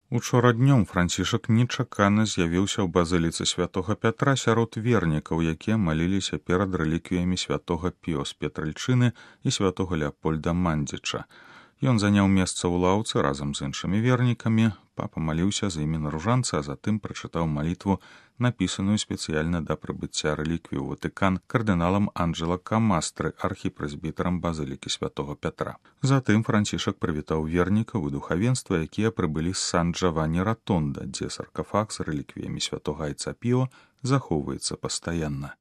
Учора днём Францішак нечакана з'явіўся ў базыліцы святога Пятра сярод вернікаў, якія маліліся перад рэліквіямі святога Піо з Петральчыны і святога Леапольда Мандзіча. Ён заняў месца ў лаўцы разам з іншымі вернікамі, папа маліўся з імі на ружанцы, а затым прачытаў малітву, напісаную спецыяльна да прыбыцця рэліквій у Ватыкан кардыналам Анджэло Камастры, архіпрэзбітарам базылікі святога Пятра. Затым Францішак прывітаў вернікаў і духавенства, якія прыбылі з Сан-Джавані-Ратонда, дзе саркафаг з рэліквіямі святога айца Піо захоўваецца пастаянна.